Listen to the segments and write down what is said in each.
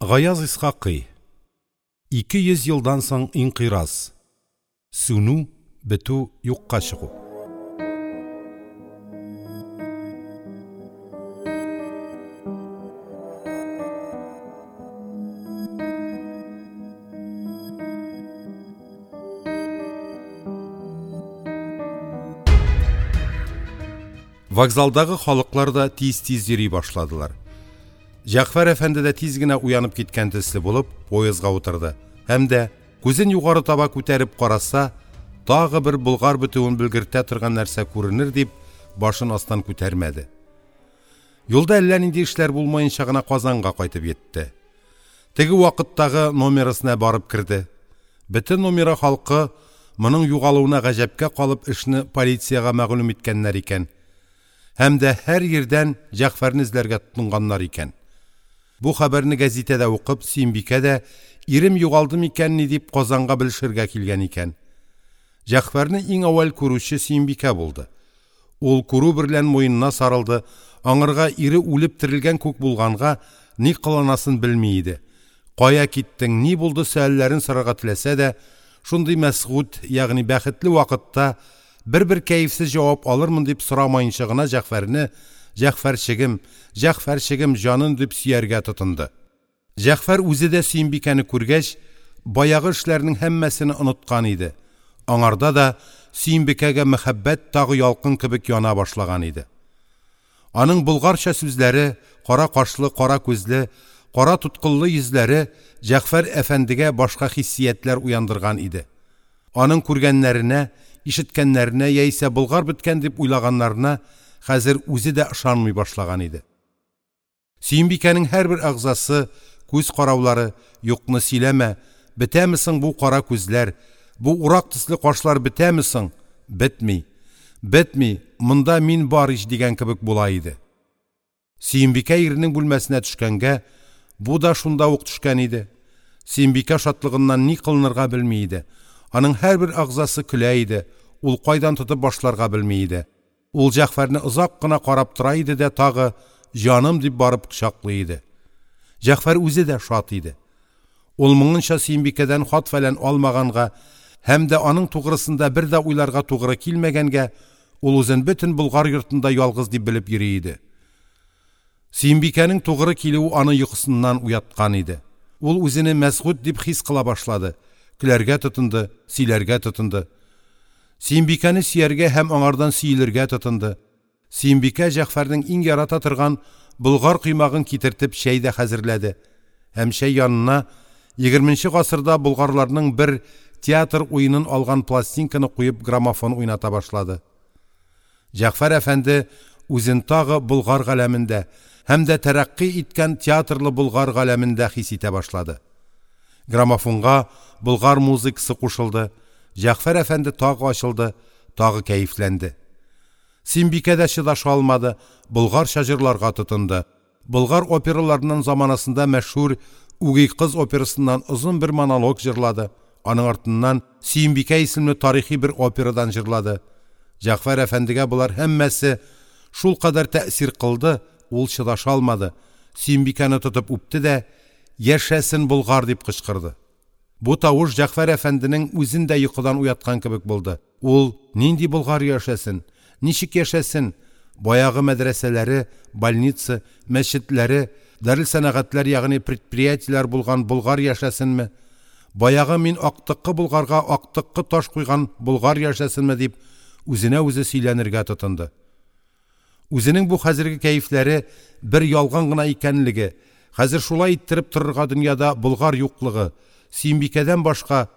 Гаяз Исхакый. 200 елдан соң инкыйраз. Сүнү, бетү, юкка чыгу. Вокзалдагы халыклар да тиз-тиз йөри башладылар. Җәгъфәр әфәнде дә тиз генә уянып киткән төсле булып, поездга утырды һәм дә, күзен югары таба күтәреп караса, тагы бер болгар бетүен белгертә торган нәрсә күренер дип, башын астан күтәрмәде. Юлда әллә нинди эшләр булмаенча гына Казанга кайтып йитте. Теге вакыттагы номерасына барып керде. Бөтен номера халкы моның югалуына гаҗәпкә калып эшне полициягә мәгълүм иткәннәр икән. Һәм дә һәр йирдән Җәгъфәрне эзләргә тотынганнар икән. Бу хәбәрне гәзитәдә укып, Сөембикә дә, ирем югалды микәнни дип, Казанга белешергә килгән икән. Җәгъфәрне иң әүвәл күрүче Сөембикә булды. Ул күрү берлән муенына сарылды, аңарга ире үлеп терелгән күк булганга, ни кыланасын белми иде. Кая киттең, ни булды сөальләрен сорарга теләсә дә, шундый мәсгуд, ягъни бәхетле вакытта бер-бер кәефсез җавап алырмын дип сорамаенча гына Җәгъфәрне, Җәгъфәрчегем, Җәгъфәрчегем җаным дип сөяргә тотынды. Җәгъфәр үзе дә Сөембикәне күргәч, баягы эшләрнең һәммәсене оныткан иде. Аңарда да Сөембикәгә мәхәббәт тагы ялкын кебек яна башлаган иде. Аның болгарча сүзләре, кара кашлы, кара күзле, кара туткыллы йөзләре Җәгъфәр әфәндегә башка хиссиятләр уяндырган иде. Аның күргәннәренә, ишеткәннәренә яисә болгар беткән дип уйлаганнарына хәзер үзе дә ышанмый башлаган иде. Сөембикәнең һәрбер әгъзасы, күз караулары, юкны сөйләмә, бетәме соң бу кара күзләр, бу урак төсле кашлар бетәме соң? Бетми. Бетми, монда мин бар ич дигән кебек була иде. Сөембикә иренең бүлмәсенә төшкәнгә, бу да шунда ук төшкән иде. Сөембикә шатлыгыннан ни кылынырга белми иде. Аның һәрбер әгъзасы көлә иде, ул кайдан тотып башларга белми иде. Ул Җәгъфәрне озак кына карап тора иде дә тагы, җаным дип барып кочаклый иде. Җәгъфәр үзе дә шат иде. Ул моңынча Сөембикәдән хат-фәлән алмаганга һәм дә аның тугрысында бер дә уйларга тугры килмәгәнгә, ул үзен бөтен Болгар йортында ялгыз дип белеп йөри иде. Сөембикәнең тугры килүе аны йокысыннан уяткан иде. Ул үзене мәсгуд дип хис кыла башлады, көләргә тотынды, сөйләргә тотынды. Сөембикәне сөяргә һәм аңардан сөелергә тотынды. Сөембикә Җәгъфәрнең иң ярата торган болгар коймагын китертеп чәй дә хәзерләде. Һәм чәй янына егерменче гасырда болгарларның бер театр уенын алган пластинканы куеп граммофон уйната башлады. Җәгъфәр әфәнде үзен тагы болгар галәмендә һәм дә тәрәкъкый иткән театрлы болгар галәмендә хис итә башлады. Граммофонга болгар музыкасы кушылды. Җәгъфәр әфәнде тагы ачылды, тагы кәефләнде. Симбикә дә чыдаша алмады, болгарча җырларга тотынды. Болгар операларыннан заманасында мәшһүр Үги кыз операсыннан озын бер монолог җырлады. Аның артыннан Сөембикә исемле тарихи бер операдан җырлады. Җәгъфәр әфәндегә болар һәммәсе шулкадәр тәэсир кылды, ул чыдаша алмады. Сөембикәне тотып үпте дә, "Яшәсен Болгар!" дип кычкырды. Бу тавыш Җәгъфәр әфәнденең үзен дә йокыдан уяткан кебек булды. Ул, нинди болгар яшәсен, ничек яшәсен, баягы мәдрәсәләре, больница, мәчетләре, дарелсәнәгатьләр, ягъни предприятиеләр булган болгар яшәсенме, баягы мин актыккы болгарга актыккы таш куйган болгар яшәсенме дип, үзенә үзе сөйләнергә тотынды. Үзенең бу хәзерге кәефләре бер ялган гына икәнлеге, хәзер шулай иттереп торырга дөньяда болгар юклыгы, Сөембикәдән башка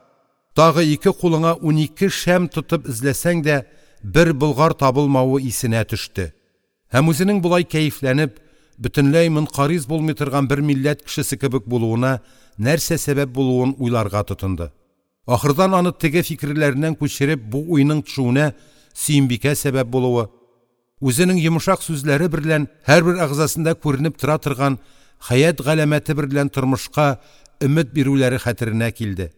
тагы ике кулыңа 12 шәм тотып эзләсәң дә бер болгар табылмавы исенә төште. Һәм үзенең болай кәефләнеп, бөтенләй монкариз булмый торган бер милләт кешесе кебек булуына нәрсә сәбәп булуын уйларга тотынды. Ахырдан аны теге фикерләреннән күчереп бу уйның төшүенә Сөембикә сәбәп булуы, үзенең йомшак сүзләре берлән һәрбер әгъзасында күренеп тора торган хәят галәмәте берлән тормышка өмет бирүләре хәтеренә килде.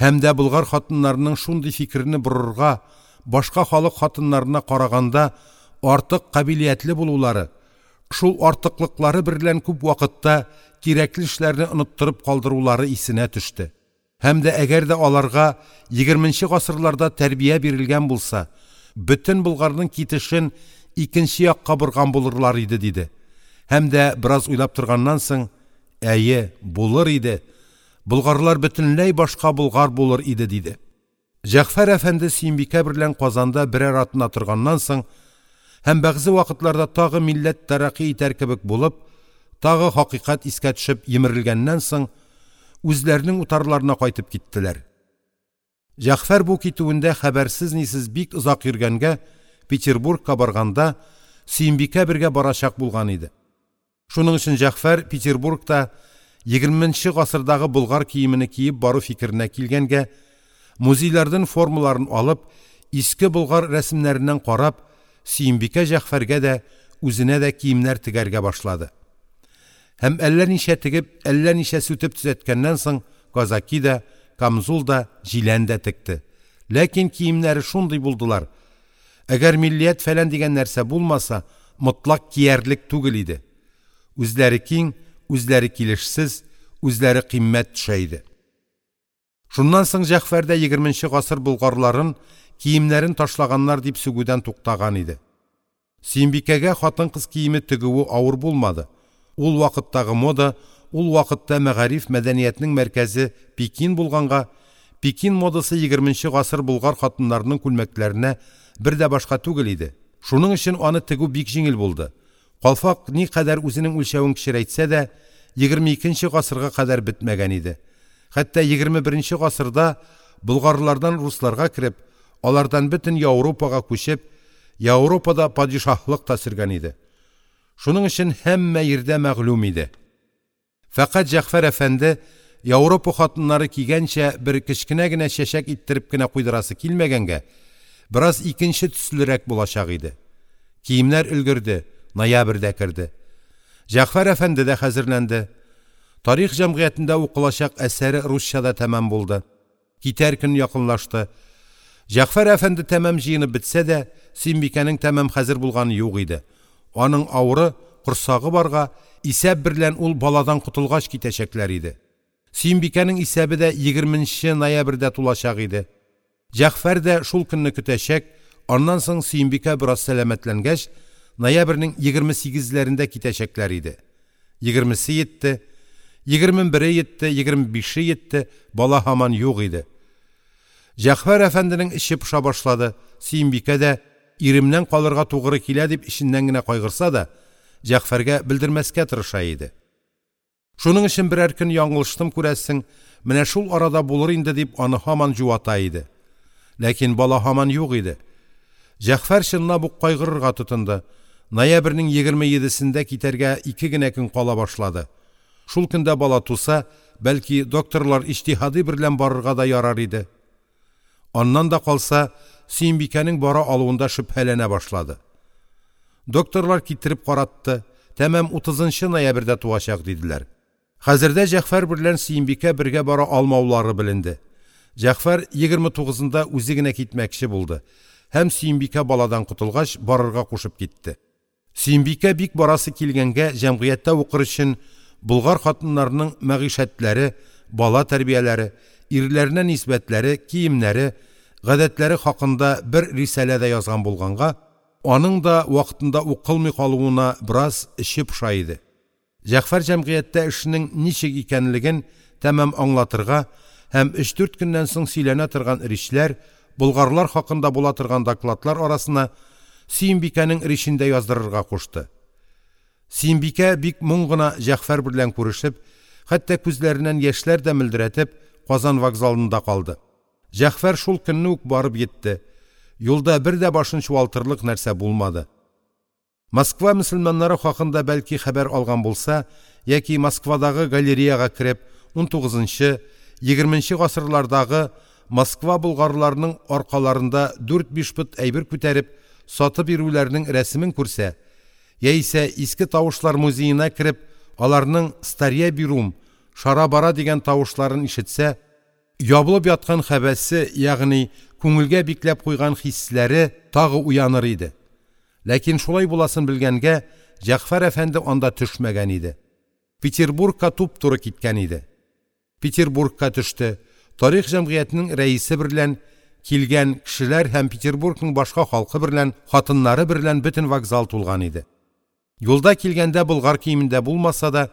Һәм дә болгар хатыннарының шундый фикерне борырга, башка халык хатыннарына караганда артык кабилиятле булулары, Шул артыклыклары берлән күп вакытта кирәкле эшләрне оныттырып калдырулары исенә төште. Һәм дә әгәр дә аларга егерменче гасырларда тәрбия бирелгән булса, бөтен болгарның китешен икенче якка борган булырлар иде, диде. Һәм дә бераз уйлап торганнан соң: «Әйе, булыр иде, болгарлар бөтенләй башка болгар булыр иде», – диде. Җәгъфәр әфәнде Сөембикә берлән Казанда берәр атна торганнан соң һәм бәгъзе вакытларда тагы милләт тәрәкъкый итәр кебек булып, тагы хакыйкать искә төшеп йимерелгәннән соң, үзләренең утарларына кайтып киттеләр. Җәгъфәр бу китүендә хәбәрсез-нисез бик озак йөргәнгә, Петербургка барганда, Сөембикә бергә барачак булган иде. Шуның өчен Җәгъфәр Петербургта егерменче гасырдагы болгар киемене киеп бару фикеренә килгәнгә, музейлардан формаларын алып, иске болгар рәсемнәреннән карап, Сөембикә Җәгъфәргә дә, үзенә дә киемнәр тегәргә башлады. Һәм әллә ничә тегеп, әллә ничә сүтеп төзәткәннән соң, казаки да, камзул да, җилән дә текте. Ләкин киемнәре шундый булдылар. Әгәр миллият фәлән дигән нәрсә булмаса, мотлак киярлек түгел иде. Үзләре киң, үзләре килешсез, үзләре кыйммәт төшә иде. Шуннан соң Җәгъфәр дә егерменче гасыр болгарларын киемнәрен ташлаганнар дип сүгүдән туктаган иде. Сөембикәгә хатын-кыз киеме тегүе авыр булмады. Ул вакыттагы мода, ул вакытта мәгариф мәдәниятнең мәркәзе Пекин булганга, Пекин модасы егерменче гасыр болгар хатыннарының күлмәкләренә бер дә башка түгел иде. Шуның өчен аны тегү бик җиңел булды. Калфак никадәр үзенең үлчәвен кечерәйтсә дә, 22 нче гасырга кадәр бетмәгән иде. Хәтта 21 нче гасырда болгарлардан русларга кереп, алардан бөтен Яуропага күчеп, Яуропада падишаһлык та сөргән иде. Шуның өчен һәммә йирдә мәгълүм иде. Фәкать Җәгъфәр әфәнде Яуропа хатыннары кигәнчә бер кечкенә генә чәчәк иттереп кенә куйдырасы килмәгәнгә, бераз икенче төслерәк булачак иде. Киемнәр өлгерде, ноябрь дә керде. Җәгъфәр әфәнде дә хәзерләнде. Тарих җәмгыятендә укылачак әсәре русча да тәмам булды. Китәр көн якынлашты. Җәгъфәр әфәнде тәмам җыенып бетсә дә, Сөембикәнең тәмам хәзер булганы юк иде. Аның авыры, корсагы барга, исәп берлән ул баладан котылгач китәчәкләр иде. Сөембикәнең исәбе дә егерменче ноябрьдә тулачак иде. Җәгъфәр дә шул көнне көтәчәк, аннан соң Сөембикә бераз сәламәтләнгәч, ноябрьнең 28-ләрендә китәчәкләр иде. Егермесе йитте, 21-е йитте, 25-е йитте, бала һаман юк иде. Җәгъфәр әфәнденең эче поша башлады. Сөембикә дә иремнән калырга тугры килә дип эченнән генә кайгырса да, Җәгъфәргә белдермәскә тырыша иде. Шуның өчен берәр көн яңлыштым күрәсең, менә шул арада булыр инде дип аны һаман җуата иде. Ләкин бала һаман юк иде. Җәгъфәр чынлап ук кайгырырга тотынды. Ноябрьнең 27сендә китәргә ике генә көн кала башлады. Шул көндә бала туса, бәлки, докторлар иҗтиһады берлән барырга да ярар иде. Аннан да калса, Сөембикәнең бара алуында шөбһәләнә башлады. Докторлар китереп каратты, тәмам 30 ноябрьдә туачак диделәр. Хәзердә Җәгъфәр берлән Сөембикә бергә бара алмаулары беленде. Җәгъфәр 29-ында үзе генә китмәкче булды һәм Сөембикә баладан котылгач барырга кушып китте. Сөембикә бик барасы килгәнгә җәмгыятьтә укыр өчен болгар хатыннарының мәгыйшәтләре, бала тәрбияләре, ирләренә нисбәтләре, киемнәре, гадәтләре хакында бер рисалә дә язган булганга, аның да вакытында укылмый калуына бераз эче поша иде. Җәгъфәр җәмгыятьтә эшнең ничек икәнлеген тәмам аңлатырга һәм өч-дүрт көннән соң сөйләнә торган ричләр, болгарлар хакында була торган докладлар арасына Сөембикәнең речен дә яздырырга кушты. Сөембикә бик моң гына Җәгъфәр берлән күрешеп, хәтта күзләреннән яшьләр дә мөлдерәтеп, Казан вокзалында калды. Җәгъфәр шул көнне үк барып йитте. Юлда бер дә башын чуалтырлык нәрсә булмады. Москва мөселманнары хакында бәлки хәбәр алган булса яки Москвадагы галереяга кереп 19-нчы, 20-нче гасырлардагы Москва болгарларының аркаларында 4-5 пот әйбер күтәреп сатып йөрүләренең рәсемен күрсә, яисә иске тавышлар музеена кереп, аларның «Старья берум», «Шара-бара» дигән тавышларын ишетсә, ябылып яткан хәбәсе, ягъни күңелгә бикләп куйган хисләре тагы уяныр иде. Ләкин шулай буласын белгәнгә, Җәгъфәр әфәнде анда төшмәгән иде. Петербургка туп-туры киткән иде. Петербургка төште. Тарих җәмгыятенең рәисе берлән килгән кешеләр һәм Петербургның башка халкы берлән, хатыннары берлән бөтен вокзал тулган иде. Юлда килгәндә болгар киемендә булмаса да,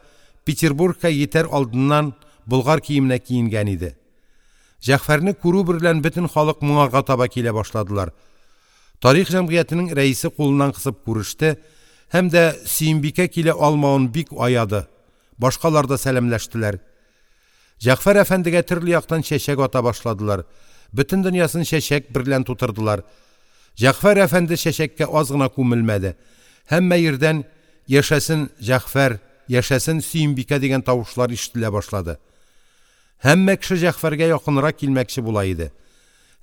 Петербургка йитәр алдыннан болгар киеменә киенгән иде. Җәгъфәрне күрү берлән бөтен халык моңарга таба килә башладылар. Тарих җәмгыятенең рәисе кулыннан кысып күреште һәм дә Сөембикә килә алмавын бик аяды. Башкалар да сәламләштеләр. Җәгъфәр әфәндегә төрле яктан чәчәк ата башладылар. Бөтен дөньясын чәчәк берлән тутырдылар. Җәгъфәр әфәнде чәчәккә аз гына күмелмәде. Һәммә йирдән «Яшәсен Җәгъфәр, яшәсен Сөембикә» дигән тавышлар ишетелә башлады. Һәммә кеше Җәгъфәргә якынрак килмәкче була иде.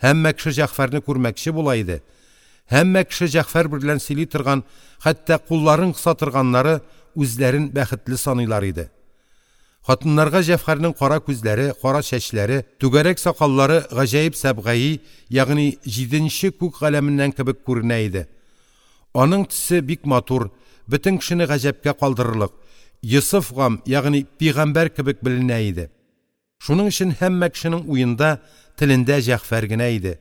Һәммә кеше Җәгъфәрне күрмәкче була иде. Һәммә кеше Җәгъфәр берлән сөйли торган, хәтта кулларын кыса торганнары үзләрен бәхетле саныйлар иде. Хатыннарга Җәгъфәрнең кара күзләре, кара чәчләре, түгәрәк сакаллары гаҗәеп сәбгаи, ягъни җиденче күк галәменнән кебек күренә иде. Аның төсе бик матур, бөтен кешене гаҗәпкә калдырырлык, Йосыф гам, ягъни пәйгамбәр кебек беленә иде. Шуның өчен һәммә кешенең уенда, телендә Җәгъфәр генә иде.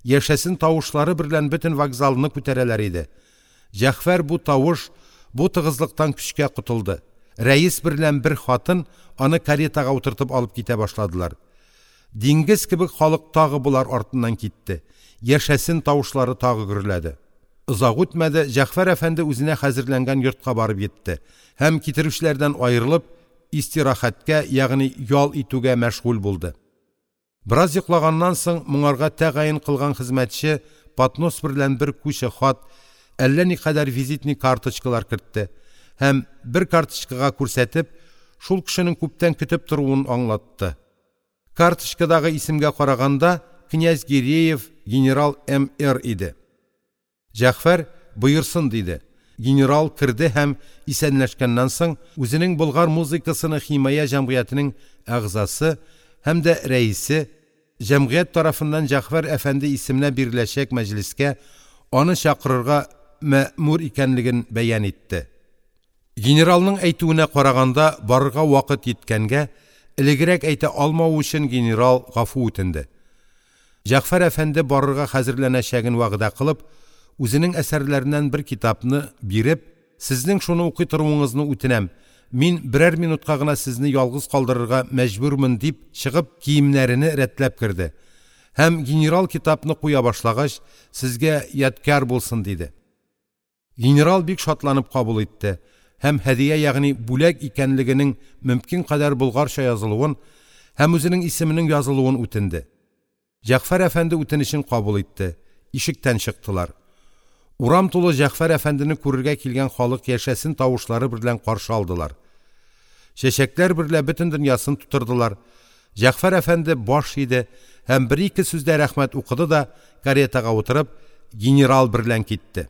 Яшәсен тавышлары берлән бөтен вокзалны күтәрәләр иде. Җәгъфәр бу тавыш, бу тыгызлыктан көчкә котылды. Рәис берлән бер хатын аны каретага утыртып алып китә башладылар. Диңгез кебек халык тагы болар артыннан китте. Яшәсен тавышлары тагы гөрләде. Озак үтмәде, Җәгъфәр әфәнде үзенә хәзерләнгән йортка барып йитте һәм китерүчеләрдән аерылып, истирахәткә, ягъни ял итүгә мәшгуль булды. Бераз йоклаганнан соң моңарга тәгаен кылган хезмәтче поднос берлән бер куча хат, әллә никадәр визитный карточкалар кертте һәм бер карточкага күрсәтеп, шул кешенең күптән көтеп торуын аңлатты. Карточкадагы исемгә караганда, князь Гиреев генерал М.Р. иде. Җәгъфәр: «Боерсын!» – диде. Генерал керде һәм, исәнләшкәннән соң, үзенең болгар музыкасыны химая җәмгыятенең әгъзасы һәм дә рәисе, җәмгыять тарафыннан Җәгъфәр әфәнде исеменә биреләчәк мәҗлескә аны чакырырга мәэмүр икәнлеген бәян итте. Генералның әйтүенә караганда, барырга вакыт йиткәнгә, элегрәк әйтә алмавы өчен генерал гафу үтенде. Җәгъфәр әфәнде барырга хәзерләнәчәген вәгъдә кылып, үзенең әсәрләреннән бер китапны биреп, сезнең шуны укый торуыңызны үтенәм, мин берәр минутка гына сезне ялгыз калдырырга мәҗбүрмен дип чыгып, киемнәрене рәтләп керде. Һәм генерал китапны куя башлагач, сезгә ядкяр булсын диде. Генерал бик шатланып кабул итте һәм һәдия, ягъни бүләк икәнлегенең мөмкин кадәр болгарча язылуын һәм үзенең исеменең язылуын үтенде. Җәгъфәр әфәнде үтенечен кабул итте. Ишектән чыктылар. Урам тулы Җәгъфәр әфәндене күрергә килгән халык яшәсен тавышлары берлән каршы алдылар. Чәчәкләр берлә бөтен дөньясын тутырдылар. Җәгъфәр әфәнде баш иде һәм бер-ике сүздә рәхмәт укыды да, каретага утырып, генерал берлән китте.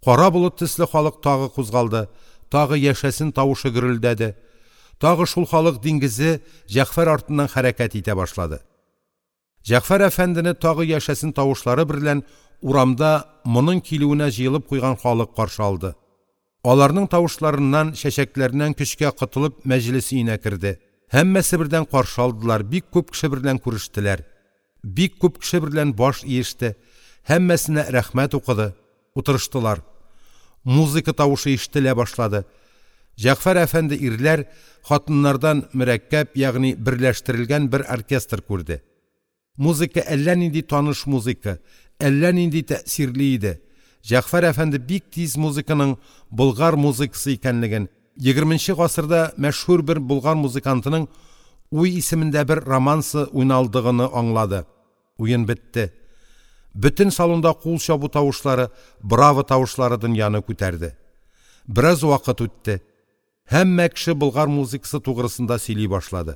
Кара болыт төсле халык тагы кузгалды, тагы яшәсен тавышы гөрелдәде. Тагы шул халык диңгезе Җәгъфәр артыннан хәрәкәт итә башлады. Җәгъфәр әфәндене тагы яшәсен тавышлары берлән урамда моның килүенә җыелып куйган халык каршы алды. Аларның тавышларыннан, чәчәкләреннән көчкә котылып мәҗлес өенә керде. Һәммәсе бердән каршы алдылар, бик күп кеше берлән күрештеләр. Бик күп кеше берлән баш иеште. Һәммәсенә рәхмәт укыды. Утырыштылар. Музыка тавышы ишетелә башлады. Җәгъфәр әфәнде ирләр, хатыннардан мөрәккәб, ягъни берләштерелгән бер оркестр күрде. Музыка әллә нинди таныш музыка, әллә нинди тәэсирле иде. Җәгъфәр әфәнде бик тиз музыканың болгар музыкасы икәнлеген, егерменче гасырда мәшһүр бер болгар музыкантының Уй исемендә бер романсы уйналдыгыны аңлады. Уен бетте. Бөтен салонда кул чабу тавышлары, браво тавышлары дөньяны күтәрде. Бераз вакыт үтте. Һәммә кеше болгар музыкасы тугрысында сөйли башлады.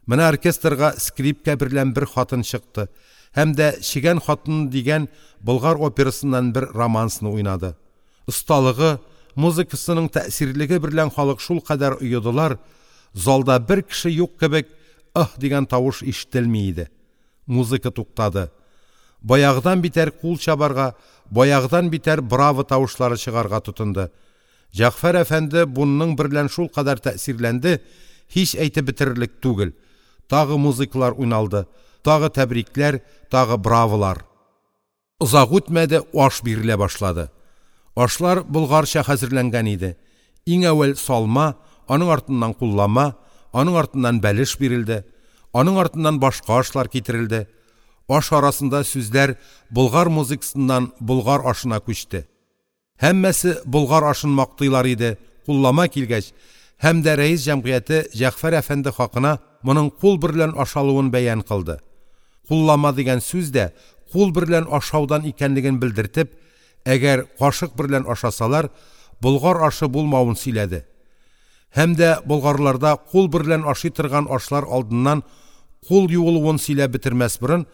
Менә оркестрга скрипка берлән бер хатын чыкты һәм дә Чегән хатыны дигән болгар операсыннан бер романсны уйнады. Осталыгы, музыкасының тәэсирлеге берлән халык шулкадәр оедылар, залда бер кеше юк кебек, «Аһ» дигән тавыш ишетелми иде. Музыка туктады. Баягыдан битәр кул чабарга, баягыдан битәр браво тавышлары чыгарга тотынды. Җәгъфәр әфәнде буның берлән шулкадәр тәэсирләнде, һич әйтеп бетерерлек түгел. Тагы музыкалар уйналды, тагы тәбрикләр, тагы браволар! Озак үтмәде, аш бирелә башлады. Ашлар болгарча хәзерләнгән иде. Иң әүвәл салма, аның артыннан куллама, аның артыннан бәлеш бирелде, аның артыннан башка ашлар китерелде. Аш арасында сүзләр болгар музыкасыннан болгар ашына күчте. Һәммәсе болгар ашын мактыйлар иде, куллама килгәч, һәм дә рәис җәмгыяте Җәгъфәр әфәнде хакына моның кул берлән ашалуын бәян кылды. Куллама дигән сүз дә кул берлән ашаудан икәнлеген белдертеп, әгәр кашык берлән ашасалар, болгар ашы булмавын сөйләде. Һәм дә болгарларда кул берлән ашый торган ашлар алдыннан кул юылуын сөйләп бетермәс борын,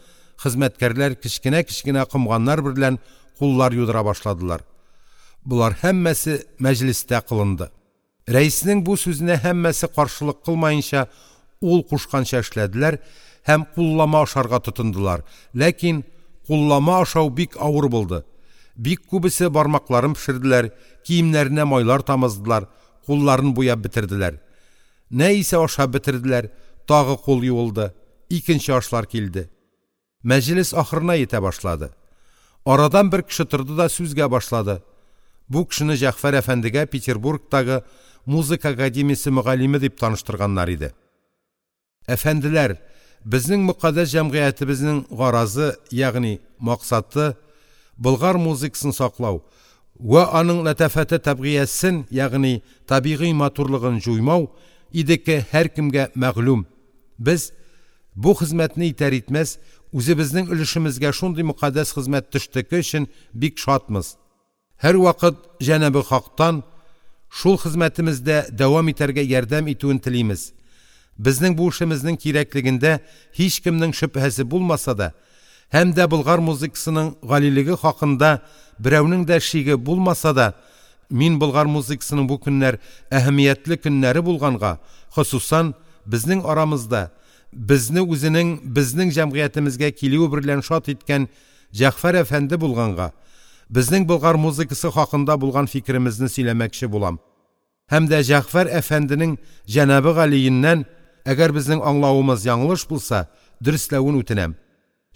хезмәткәрләр кечкенә-кечкенә комганнар берлән куллар юдыра башладылар. Болар һәммәсе мәҗлестә кылынды. Рәиснең бу сүзенә һәммәсе каршылык кылмаенча, ул кушканча эшләделәр һәм куллама ашарга тотындылар. Ләкин куллама ашау бик авыр булды. Бик күбесе бармакларын пешерделәр, киемнәренә майлар тамыздылар, кулларын буяп бетерделәр. Нә исә ашап бетерделәр, тагы кул юылды, икенче ашлар килде. Мәҗлес ахырына йитә башлады. Арадан бер кеше торды да сүзгә башлады. Бу кешене Җәгъфәр әфәндегә Петербургтагы музыка академиясе мөгаллиме дип таныштырганнар иде. Әфәнделәр, безнең мөкатдәс җәмгыятебезнең гаразы, ягъни максаты болгар музыкасын саклау вә аның ләтафәте табигыясен, ягъни табигый матурлыгын җуймау идеке һәркемгә мәгълүм. Без бу хезмәтне итәр-итмәс, үзебезнең өлешемезгә шундый мөкатдәс хезмәт төштеке өчен бик шатмыз. Һәрвакыт Җәнабе Хактан шул хезмәтемездә дәвам итәргә ярдәм итүен телимез. Безнең бу эшемезнең кирәклегендә һичкемнең шөбһәсе булмаса да, һәм дә болгар музыкасының галилеге хакында берәүнең дә шиге булмаса да, мин болгар музыкасының бу көннәр әһәмиятле көннәре булганга, хосусан безнең арамызда безне үзенең безнең җәмгыятемезгә килүе берлән шат иткән Җәгъфәр әфәнде булганга, безнең болгар музыкасы хакында булган фикеремезне сөйләмәкче булам. Һәм дә Җәгъфәр әфәнденең җәнабе галиеннән, әгәр безнең аңлавымыз яңлыш булса, дөресләвен үтенәм.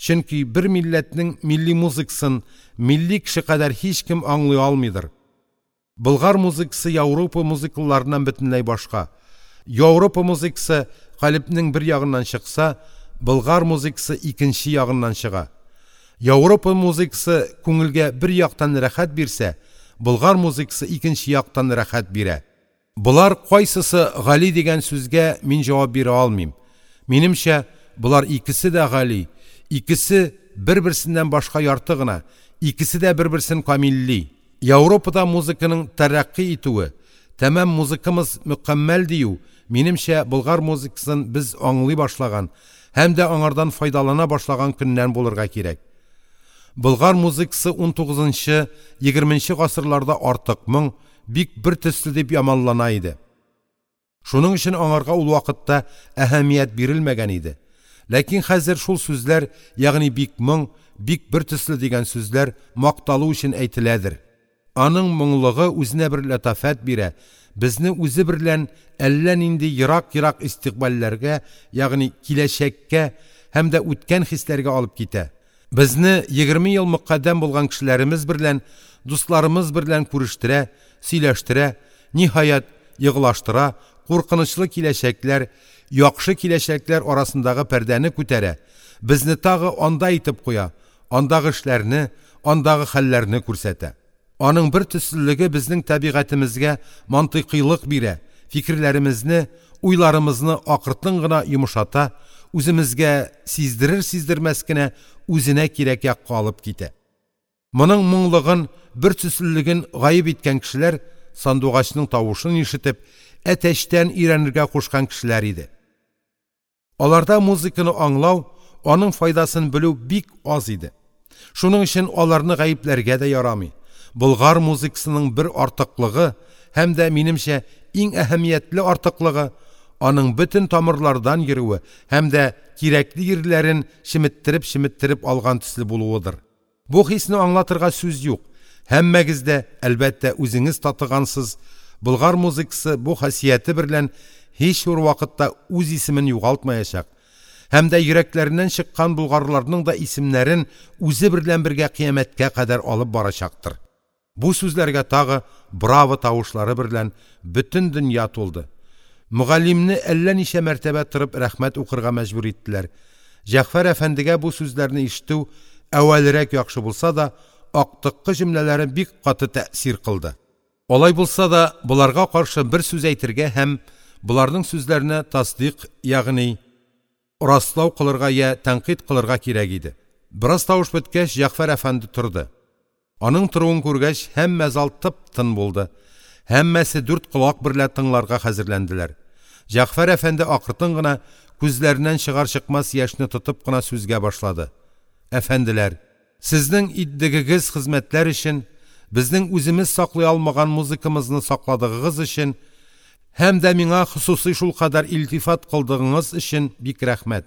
Чөнки бер милләтнең милли музыкасын милли кеше кадәр һичкем аңлый алмыйдыр. Болгар музыкасы Яуропа музыкаларыннан бөтенләй башка. Яуропа музыкасы калебнең бер ягыннан чыкса, болгар музыкасы икенче ягыннан чыга. Яуропа музыкасы күңелгә бер яктан рәхәт бирсә, болгар музыкасы икенче яктан рәхәт бирә. Болар кайсысы гали дигән сүзгә мин җавап бирә алмыйм. Минемчә, болар икесе дә гали, икесе бер-берсеннән башка ярты гына, икесе дә бер-берсен камилли. Яуропада музыканың тәрәкъкый итүе, тәмам музыкамыз мөкәммәл дию, минемчә, болгар музыкасын без аңлый башлаган һәм дә аңардан файдалана башлаган көннән булырга кирәк. Болгар музыкасы 19-нчы, 20-нче гасырларда артык моң, бик бер төсле дип яманлана иде. Шуның өчен аңарга ул вакытта әһәмият бирелмәгән иде. Ләкин хәзер шул сүзләр, ягъни бик моң, бик бер төсле дигән сүзләр макталу өчен әйтеләдер. Аның моңлыгы үзенә бер ләтафәт бирә, безне үзе берлән әллә нинди ерак-ерак истикъбальләргә, ягъни киләчәккә һәм дә үткән хисләргә алып китә. Безне 20 ел мөкаддәм булган кешеләремез берлән, дусларымыз берлән күрештерә, сөйләштерә, ниһаять, еглаштыра, куркынычлы киләчәкләр, яхшы киләчәкләр арасындагы пәрдәне күтәрә, безне тагы анда итеп куя, андагы эшләрне, андагы хәлләрне күрсәтә. Аның бер төслелеге безнең табигатемезгә мантыйкыйлык бирә, фикерләремезне, уйларымызны акыртын гына йомшата, үземезгә сиздерер-сиздермәс кенә үзенә кирәк якка алып китә. Моның моңлыгын, бер төслелеген гаеп иткән кешеләр сандугачның тавышын ишетеп, әтәчтән өйрәнергә кушкан кешеләр иде. Аларда музыканы аңлау, аның файдасын белү бик аз иде. Шуның өчен аларны гаепләргә дә ярамый. Болгар музыкасының бер артыклыгы һәм дә, минемчә, иң әһәмиятле артыклыгы аның бөтен тамырлардан йөрүе һәм дә кирәкле йирләрен чеметтереп-чеметтереп алган төсле булуыдыр. Бу хисне аңлатырга сүз юк. Һәммәгез дә, әлбәттә, үзеңез татыгансыз, болгар музыкасы бу хасияте берлән һич бер вакытта үз исемен югалтмаячак һәм дә йөрәкләреннән чыккан болгарларның да исемнәрен үзе берлән бергә кыямәткә кадәр алып барачактыр. Бу сүзләргә тагы браво тавышлары берлән бөтен дөнья тулды. Мөгаллимне әллә ничә мәртәбә торып рәхмәт укырга мәҗбүр иттеләр. Җәгъфәр әфәндегә бу сүзләрне ишетү әүвәлрәк яхшы булса да, актыккы җөмләләре бик каты тәэсир кылды. Алай булса да, боларга каршы бер сүз әйтергә һәм боларның сүзләренә тасдыйк, ягъни раслау кылырга йә тәнкыйть кылырга кирәк иде. Бераз тавыш беткәч, Җәгъфәр әфәнде торды. Аның торуын күргәч, һәммә зал тып-тын булды. Һәммәсе дүрт колак берлә тыңларга хәзерләнделәр. Җәгъфәр әфәнде акыртын гына, күзләреннән чыгар-чыкмас яшьне тотып кына сүзгә башлады. Әфәнделәр, сезнең итдегегез хезмәтләр өчен, безнең үземез саклый алмаган музыкамызны сакладыгыгыз өчен һәм дә миңа хосусый шулкадәр илтифат кылдыгыңыз өчен бик рәхмәт.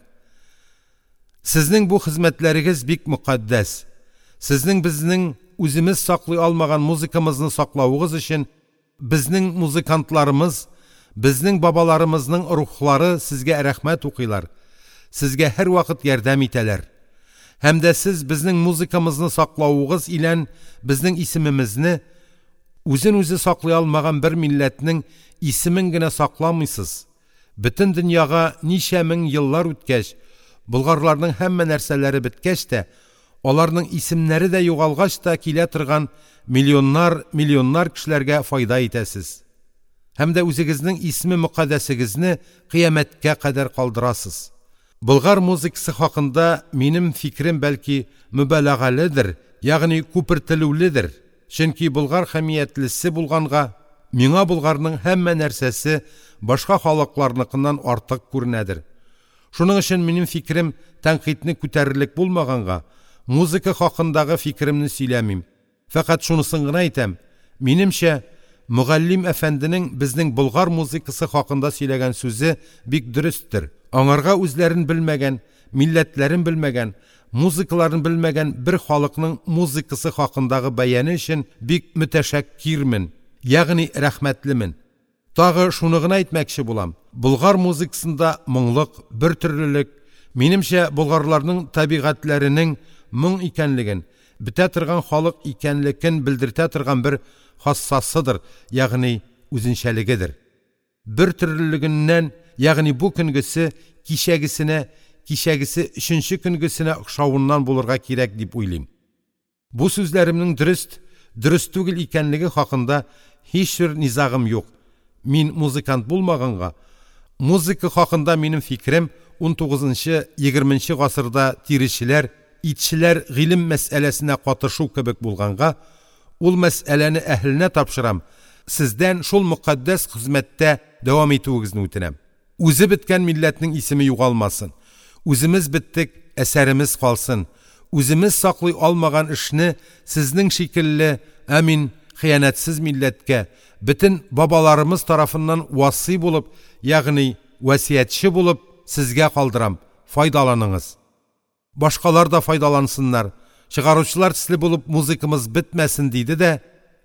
Сезнең бу хезмәтләрегез бик мөкатдәс. Сезнең безнең үземез саклый алмаган музыкамызны саклавыгыз өчен безнең музыкантларымыз, безнең бабаларымызның рухлары сезгә рәхмәт укыйлар, сезгә һәрвакыт ярдәм итәләр. Һәм дә сез безнең музыкамызны саклавыгыз илән безнең исемемезне үзен үзе саклый алмаган бер милләтнең исемен генә сакламыйсыз, бөтен дөньяга ничә мең еллар үткәч, болгарларның һәммә нәрсәләре беткәч тә, аларның исемнәре дә югалгач та килә торган миллионнар, миллионнар кешеләргә файда итәсез. Һәм дә үзегезнең исме мөкатдәсегезне кыямәткә кадәр калдырасыз. Болгар музыкасы хакында минем фикерем бәлки мөбаләгаледер, ягъни күпертелүледер. Чөнки болгар хәмиятлесе булганга, миңа болгарның һәммә нәрсәсе башка халыкларныкыннан артык күренәдер. Шуның өчен минем фикерем тәнкыйтьне күтәрерлек булмаганга, музыка хакындагы фикеремне сөйләмим. Фәкать шунысын гына әйтәм: минемчә, мөгаллим әфәнденең безнең болгар музыкасы хакында сөйләгән сүзе бик дөресттер. Аңарга үзләрен белмәгән, милләтләрен белмәгән, музыкаларын белмәгән бер халыкның музыкасы хакындагы бәяне өчен бик мөтәшәккирмен, ягъни рәхмәтлемен. Тагы шуны гына әйтмәкче булам: болгар музыкасында моңлык, бертөрлелек, минемчә, болгарларның табигатьләренең моң икәнлеген, бетә торган халык икәнлеген белдертә торган бер хассасыдыр, ягъни үзенчәлегедер. Бертөрлелегеннән, ягъни бу көнгесе кичәгесенә, кичәгесе өченче көнгесенә охшавыннан булырга кирәк дип уйлыйм. Бу сүзләремнең дөрест, дөрест түгел икәнлеге хакында һичбер низагым юк. Мин музыкант булмаганга, музыка хакында минем фикерем 19-20 гасырда тиречеләр, итчеләр гыйлем мәсьәләсенә катышу кебек булганга, ул мәсьәләне әһеленә тапшырам, сездән шул мөкатдәс хезмәттә дәвам итүегезне үтенәм. Үзе беткән милләтнең исеме югалмасын. Үземез беттек, әсәремез калсын. Үземез саклый алмаган эшне сезнең шикелле, амин, хыянәтсез милләткә, бөтен бабаларымыз тарафыннан васый булып, ягъни васыятьче булып сезгә калдырам, файдаланыңыз. Башкалар да файдалансыннар. Чыгаручылар төсле булып музыкамыз бетмәсен диде дә,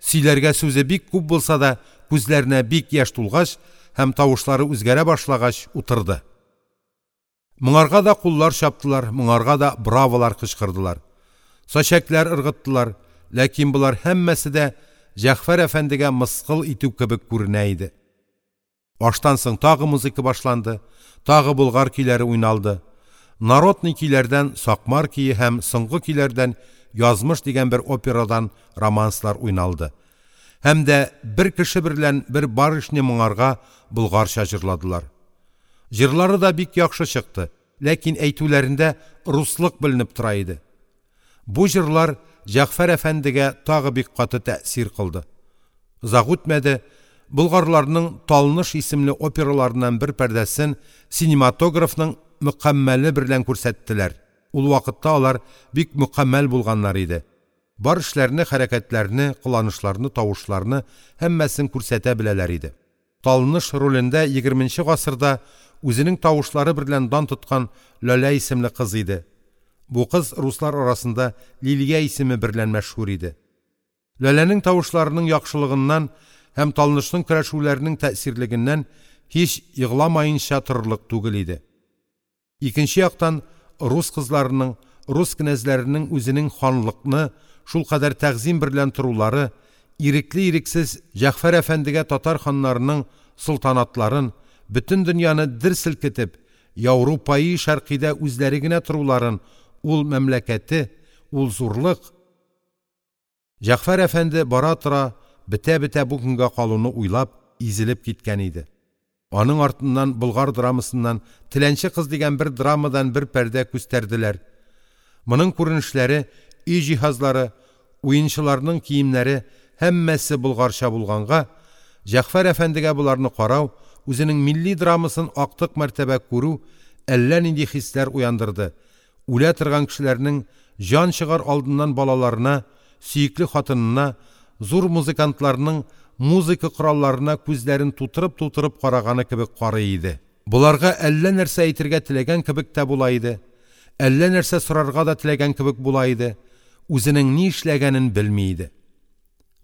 сөйләргә сүзе бик күп булса да, күзләренә бик яшь тулгач һәм тавышлары үзгәрә башлагач утырды. Моңарга да куллар чаптылар, моңарга да браволар кычкырдылар. Сачәкләр ыргыттылар, ләкин болар һәммәсе дә Җәгъфәр әфәндегә мыскыл итү кебек күренә иде. Аштан соң тагы музыка башланды, тагы болгар көйләре уйналды. Народный көйләрдән Сакмар көе һәм соңгы көйләрдән Язмыш дигән бер операдан романслар уйналды. Һәм дә бер кеше берлән бер барышня моңарга болгарча җырладылар. Җырлары да бик яхшы чыкты, ләкин әйтүләрендә руслык беленеп тора иде. Бу җырлар Җәгъфәр әфәндегә тагы бик каты тәэсир кылды. Озак үтмәде, болгарларның Талныш исемле операларыннан бер пәрдәсен синематографның мөкәммәле берлән күрсәттеләр. Ул вакытта алар бик мөкәммәл булганнар иде. Бар эшләрне, хәрәкәтләрне, кыланышларны, тавышларны һәммәсен күрсәтә беләләр иде. Талныш ролендә 20нче гасырда үзенең тавышлары берлән дан тоткан Ләлә исемле кыз иде. Бу кыз руслар арасында Лилия исеме берлән мәшһүр иде. Ләләнең тавышларының яхшылыгыннан һәм Талнышның көрәшүләренең тәэсирлегеннән һич егламаенча торырлык түгел иде. Икенче яктан, рус кызларының, рус кенәзләренең үзенең ханлыкны шулкадәр тәгъзыйм берлән торулары, ирекле-ирексез Җәгъфәр әфәндегә татар ханнарының солтанатларын, бөтен дөньяны дер селкетеп, Аурупаи Шәркыйдә үзләре генә торуларын, ул мәмләкәте, ул зурлык! Җәгъфәр әфәнде бара-тора, бетә-бетә бу көнгә калуны уйлап, изелеп киткән иде. Аның артыннан болгар драмасыннан «Теләнче кыз» дигән бер драмадан бер пәрдә күстәрделәр. Моның күренешләре, өй җиһазлары, уенчыларның киемнәре һәммәсе болгарча булганга, Җәгъфәр әфәндегә боларны карау, үзенең милли драмасын актык мәртәбә күрү әллә нинди хисләр уяндырды, үлә торган кешеләрнең җан чыгар алдыннан балаларына, сөекле хатынына, зур музыкантларның музыка коралларына күзләрен тутырып-тутырып караганы кебек карый иде. Боларга әллә нәрсә әйтергә теләгән кебек тә була иде, әллә нәрсә сорарга да теләгән кебек була иде, үзенең ни эшләгәнен белми иде.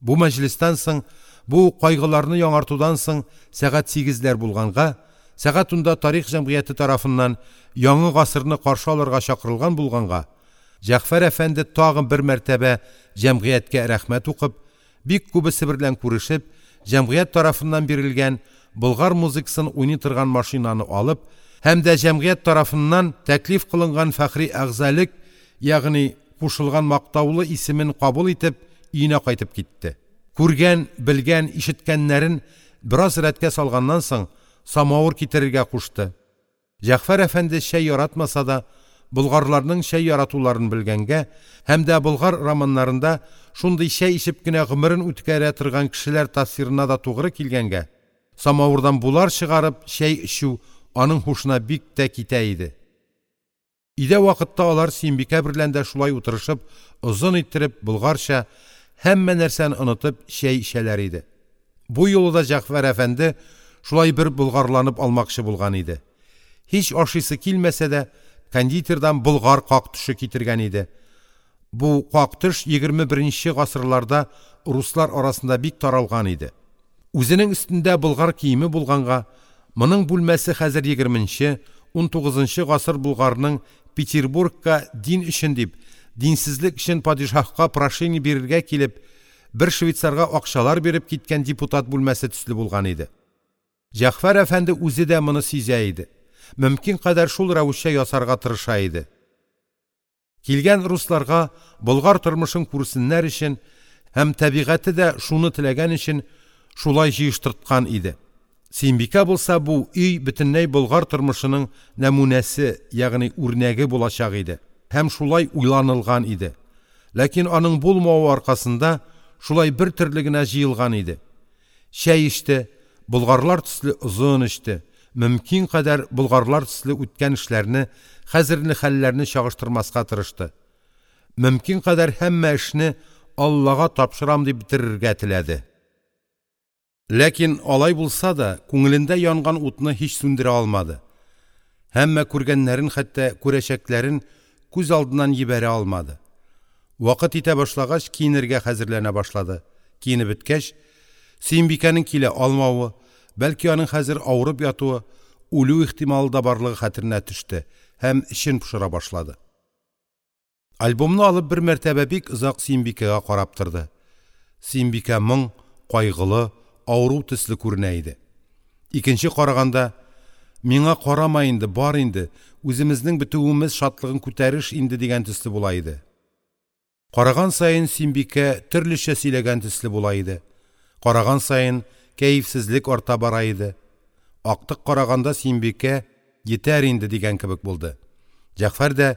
Бу мәҗлестән соң, бу кайгыларны яңартудан соң сәгать сигезләр булганга, сәгать унда тарих җәмгыяте тарафыннан яңа гасырны каршы алырга чакырылган булганга, Җәгъфәр әфәнде тагын бер мәртәбә җәмгыятькә рәхмәт укып, бик күбесе берлән күрешеп, җәмгыять тарафыннан бирелгән болгар музыкасын уйный торган машинаны алып һәм дә җәмгыять тарафыннан тәклиф кылынган фәхри әгъзалык, ягъни кушылган мактаулы исемен кабул итеп, өенә кайтып китте. Күргән, белгән, ишеткәннәрен бераз рәткә салганнан соң, самавыр китерергә кушты. Җәгъфәр әфәнде чәй яратмаса да, болгарларның чәй яратуларын белгәнгә һәм дә болгар романнарында шундый чәй эчеп кенә гомерен үткәрә торган кешеләр тасвирына да тугры килгәнгә, самавырдан булар чыгарып чәй эчү аның һушына бик тә китә иде. Өйдә вакытта алар Сөембикә берлән дә шулай утырышып, озын иттереп болгарча, һәммә нәрсәне онытып чәй эчәләр иде. Бу юлы да Җәгъфәр әфәнде шулай бер болгарланып алмакчы булган иде. Һич ашыйсы килмәсә дә, кондитердан болгар как төше китергән иде. Бу как төш 21нче гасырларда руслар арасында бик таралган иде. Үзенең өстендә болгар киеме булганга, моның бүлмәсе хәзер 20нче, 19нчы гасыр болгарның Петербургка дин өчен дип, динсезлек өчен падишаһка прошение бирергә килеп, бер швейцарга акчалар биреп киткән депутат бүлмәсе төсле булган иде. Җәгъфәр әфәнде үзе дә моны сизә иде. Мөмкин кадәр шул рәвешчә ясарга тырыша иде. Килгән русларга болгар тормышын күрсеннәр өчен һәм табигате дә шуны теләгән өчен шулай җыештырткан иде. Сөембикә булса, бу өй бөтенләй болгар тормышының нәмүнәсе, ягъни үрнәге булачак иде һәм шулай уйланылган иде. Ләкин аның булмавы аркасында шулай бер төрле генә җыелган иде. Чәй эчте, болгарлар төсле озын эчте, мөмкин кадәр болгарлар төсле үткән эшләрне, хәзерге хәлләрне чагыштырмаска тырышты. Мөмкин кадәр һәммә эшне Аллага тапшырам дип бетерергә теләде. Ләкин алай булса да, күңелендә янган утны һич сүндерә алмады. Һәммә күргәннәрен, хәтта күрәчәкләрен күз алдыннан йибәрә алмады. Вакыт итә башлагач, киенергә хәзерләнә башлады. Киенеп беткәч, Сөембикәнең килә алмавы, бәлки аның хәзер авырып ятуы, үлү ихтималы да барлыгы хәтеренә төште һәм эчен пошыра башлады. Альбомны алып бер мәртәбә бик озак Сөембикәгә карап торды. Сөембикә моң, кайгылы, авыру төсле күренә иде. Икенче караганда, миңа карама инде, бар инде, үземезнең бетүемез шатлыгын күтәреш инде дигән төсле була иде. Караган саен Сөембикә төрлечә сөйләгән төсле була иде. Караган саен кәефсезлек арта бара иде. Актык караганда Сөембикә «Йитәр инде» дигән кебек булды. Җәгъфәр дә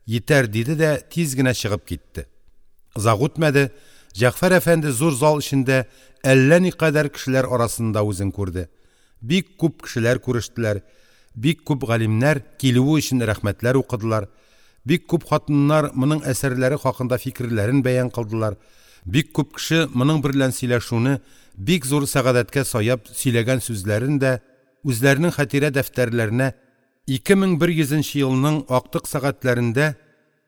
«Йитәр» диде дә тиз генә чыгып китте. Озак үтмәде, Җәгъфәр әфәнде зур зал эчендә әллә никадәр кешеләр арасында үзен күрде. Бик күп кешеләр күрештеләр, бик күп галимнәр килүе өчен рәхмәтләр укыдылар, бик күп хатыннар моның әсәрләре хакында фикерләрен бәян кылдылар, бик күп кеше моның берлән сөйләшүне бик зур сәгадәткә саяп сөйләгән сүзләрен дә үзләренең хатирә дәфтәрләренә 2100 нче елның актык сәгатьләрендә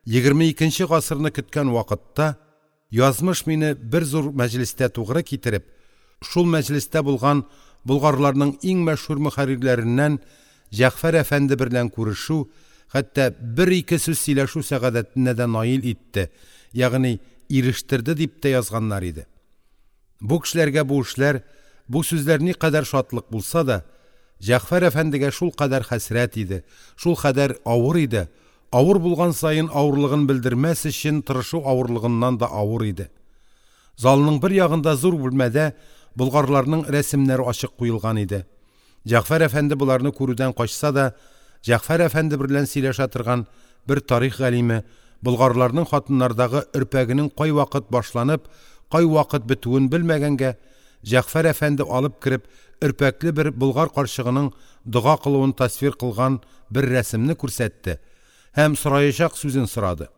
22 нче гасырны көткән вакытта Язмыш мине бер зур мәҗлестә тугры китереп, шул мәҗлестә булган болгарларның иң мәшһүр мөхәррирләреннән Җәгъфәр әфәнде берлән күрешү, хәтта бер-ике сүз сөйләшү сәгадәтенә дә наил итте, ягъни ирештерде», – дип тә язганнар иде. Бу кешеләргә бу эшләр, бу сүзләр никадәр шатлык булса да, Җәгъфәр әфәндегә шулкадәр хәсрәт иде, шулкадәр авыр иде, авыр булган саен авырлыгын белдермәс өчен тырышу авырлыгыннан да авыр иде. Залның бер ягында зур бүлмәдә болгарларның рәсемнәре ачык куелган иде. Җәгъфәр әфәнде боларны күрүдән качса да, Җәгъфәр әфәнде берлән сөйләшә торган бер тарих галиме болгарларның хатыннардагы өрпәгенең кайвакыт башланып, кайвакыт бетүен белмәгәнгә, Җәгъфәр әфәнде алып кереп, өрпәкле бер болгар карчыгының дога кылуын тасвир кылган бер рәсемне күрсәтте һәм сораячак сүзен сорады.